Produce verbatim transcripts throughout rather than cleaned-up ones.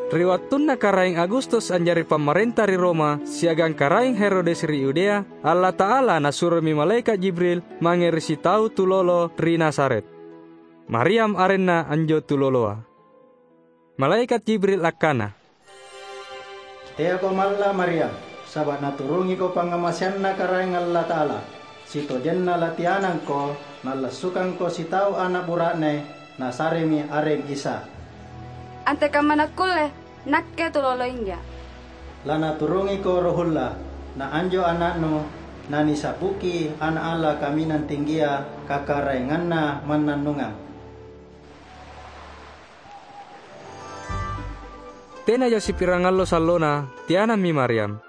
Ri wattunna Karaeng Agustus a'jari pamarenta ri Roma siagang Karaeng Herodes ri Yudea, Allata'ala nasuromi malaeka' Jibril mange ri sitau tulolo ri Nazaret. Maryam arenna anjo tuloloa. Malaeka' Jibril akkana, "Teako malla', Maryam, saba' naturungiko pangngamaseanNa Karaeng Allata'ala. Sitojenna latianangko, nallassukangko sitau ana' bura'ne, nasaremi areng Isa. Antekamma nakkulle? Nakke tuloloinja. Lanaturungiko RohNa, na anjo ana'nu nanisa'buki Ana' Allo Kaminang Tinggia, Kakaraenganna mannannungang." Tenaja sipirang allo sallona, tianammi Maryam.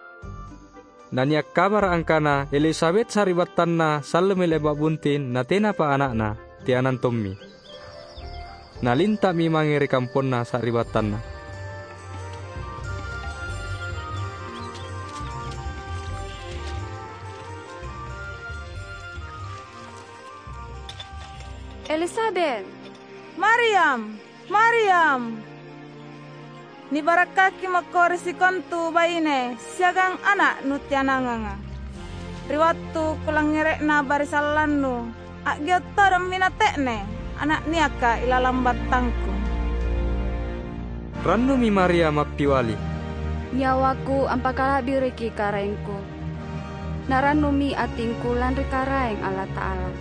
Nania' kabara' angkana Elisabet sari'battanna sallumi le'ba' bunting natenapa ana'na, tianang tommi. Nalinta'mi mange ri kamponna sari'battanna. Elisabet! Maryam! Maryam! Nibarakkaki mako ri sikontu baine siagang ana' nutiananganga. Ri wattu kulangngere'na barisallannu, a'gio' todong minate'ne ana' niaka ilalang battangku. Rannumi Maryam appiali, "Nyawaku ampakala'biriki Karaengku. Narannumi atingku lanri Karaeng Allata'ala.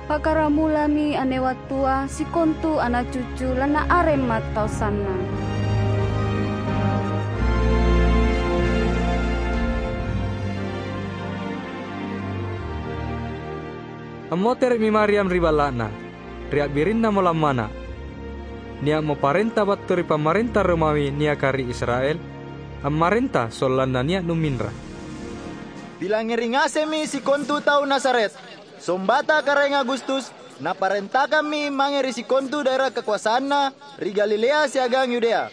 Pakkaramulami anne wattua sikontu ana' cucu lannaareng mattau sannang." Ammotere'mi Maryam ri balla'na. Ri a'birinnamo lammana'. Nia'mo parenta battu ri pamarenta Romawi niaka ri Israel, ammarenta sollanna nia' numinra. Pilangngeri ngasemmi sikontu tau Nazaret, sombata Karaeng Agustus, naparentakammi mange ri sikontu daera kakoasanna ri Galilea siagang Yudea.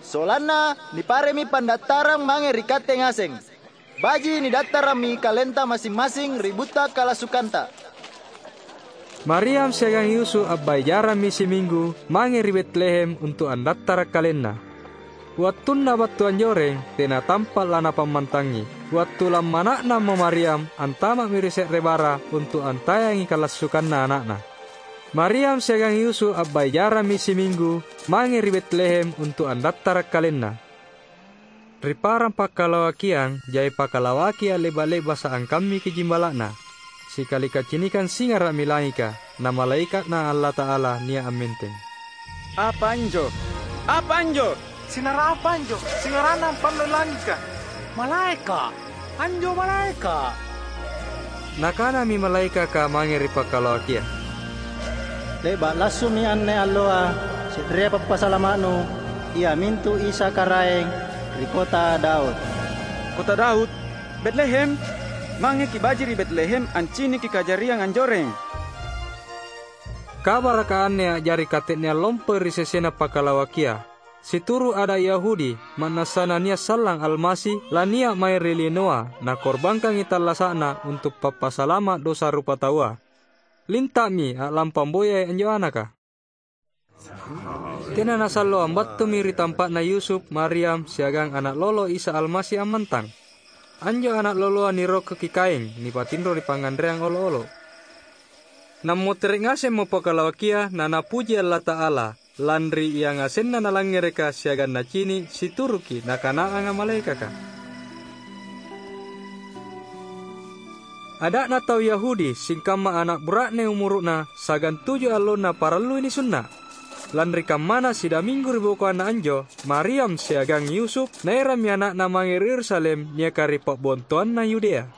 Sollanna niparemi pandattarang mange ri katte ngaseng. Baji' nidattarammi kalenta massing-massing ri butta kalassukanta. Maryam siagang Yusuf a'bai' jarammi siminggu mange ri Betlehem untu' andattara' kalenna. Wattunna battu anjoreng, tena tampa' lanapammantangi. Wattu lammana'namo Maryam antama'mi ri se're bara untu' antayangi kalassukanna ana'na. Maryam siagang Yusuf a'bai' jarammi siminggu mange ri Betlehem untu' andattara' kalenna. Ri parang pakkalawakiang jai pakalawaki a'le'ba'-le'basa' angkammiki jimbala'na. Sikali kacinikang singara'mi langika, na malaeka'Na Allata'ala nia' ammenteng. "Apa anjo? Apa anjo?" "Sinara apa anjo? Singaranna ampallo langika." "Malaeka'! Anjo malaeka'!" Nakanami malaekaka mange ri pakkalawakia, "Le'ba' lassumi anne alloa, se'rea pappasalama'nu, iamintu Isa Karaeng, ri kota Daud. Kota Daud, Betlehem, mangeki' baji' ri Betlehem anciniki kajariang anjoreng." Kabaraka anne a'jari kate'neang lompoi ri sesena pakkalawakia. Situru' ada' Yahudi, ma'nassana nia' sallang Almasi lania' mae ri linoa nakorbangkangi tallasa'Na untu' pappasalama' dosa rupataua. Linta'mi a'lampa amboyai anjo anaka. Tena nasallo ambattumi ri tampa'na Yusuf, Maryam, siagang ana' lolo Isa Almasi ammantang. Anjo ana' loloa nirokkoki kaeng nipatinro ri pangnganreang olo'-olo'. Nammotere' ngasemmo pakkalawakia nanapuji Allata'ala, lanri iangasenna nalangngereka siagang nacini' situruki nakanaanga malaekaka. Ada'na tau Yahudi, singkamma ana' bura'ne umuru'na sagang tuju allonna parallui nisunna'. Lanri kammana sidaminggu ribokoanna anjo, Maryam siagang Yusuf naerammi ana'na mange ri Yerusalem niaka ri pa'bontoanna Yudea.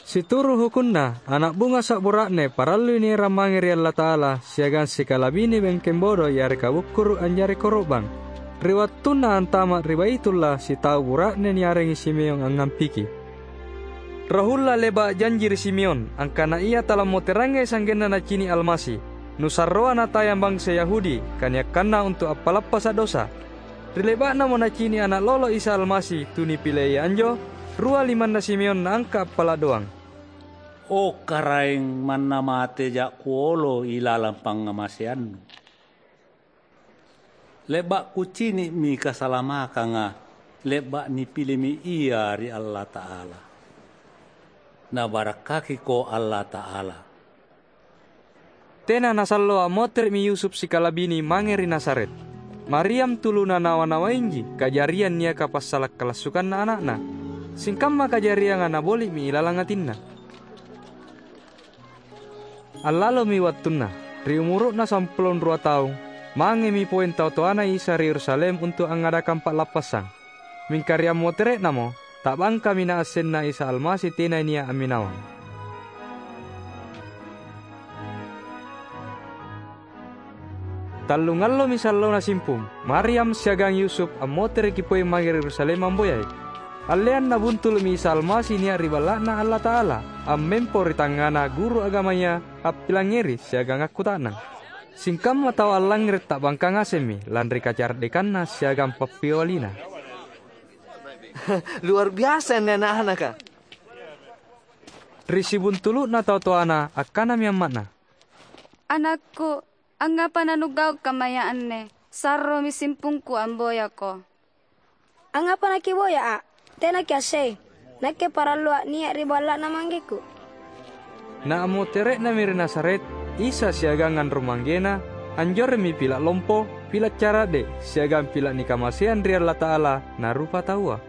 Situru' hukunna, ana' bungasa' bura'ne parallui nierang mange ri Allata'ala siagang sikalabine bengkeng bodo yareka bukkuru' anjari koro'bang. Ri wattunna antama' ri Baitulla, sitau bura'ne niarengi Simeon angngampiki. Rohulla le'ba' janji ri Simeon, angkana ia talammoterangai sa'genna nacini' Almasi, nusarroa natayang bansa Yahudi, kaniakkanna untu' appalappasa' dosa. Ri le'ba'namo nacini' ana' lolo Isa Almasi tu nipileia anjo, rua limanna Simeon naangka' appala' doang, "O Karaeng, manna mateja' kuolo ilalang pangngamaseannu." Le'ba' kucini'mi kasalamakanga, le'ba' nipilimi Ia ri Allata'ala. Nabarakkakiko Allata'ala." Tena nasallo ammotere'mi Yusuf sikalabini mange ri Nazaret. Maryam tuluna nawa-nawainji kajariang niaka passala' kalassukanna ana'na. Singkamma kajarianga naboli'mi ilalang atinna. Allalomi wattunna, ri umuru'na sampulo rua taung, mangemi poeng tau toana Isa ri Yerusalem untu' angngadakang pa'lappassang. Mingka ri ammotere'namo, ta'bangkami naassenna Isa Almasi tena nia' amminawang. Tallungallomi sallona simpung, Maryam siagang Yusuf ammotereki poeng mange ri Yerusalem amboyai. Alleanna buntulu'mi Isa Almasi nia' ri Balla'Na Allata'ala, ammempo ri tangngana guru agamaya appilangngeri siagang akkuta'nang. Singkamma tau allangngere' ta'bangka ngasemmi lanri kacara'dekanna siagang pappiawalina. Luar biasa anne ana'-anaka! Ri sibuntulu'na tau toana akkanami amma'na, "Anakku, angngapa nanugau' kammaya anne? Sarromi simpungku amboyako." "Angngapa nakiboya, A'? Tena kiasseng. Nakke parallua' nia' ri balla'na manggekku." Na ammotere'nami ri Nazaret, Isa siagang anrong manggena, anjoremmi pila' lompo, pila' cara'de', siagang pila' nikamaseang ri Allata'ala na rupataua.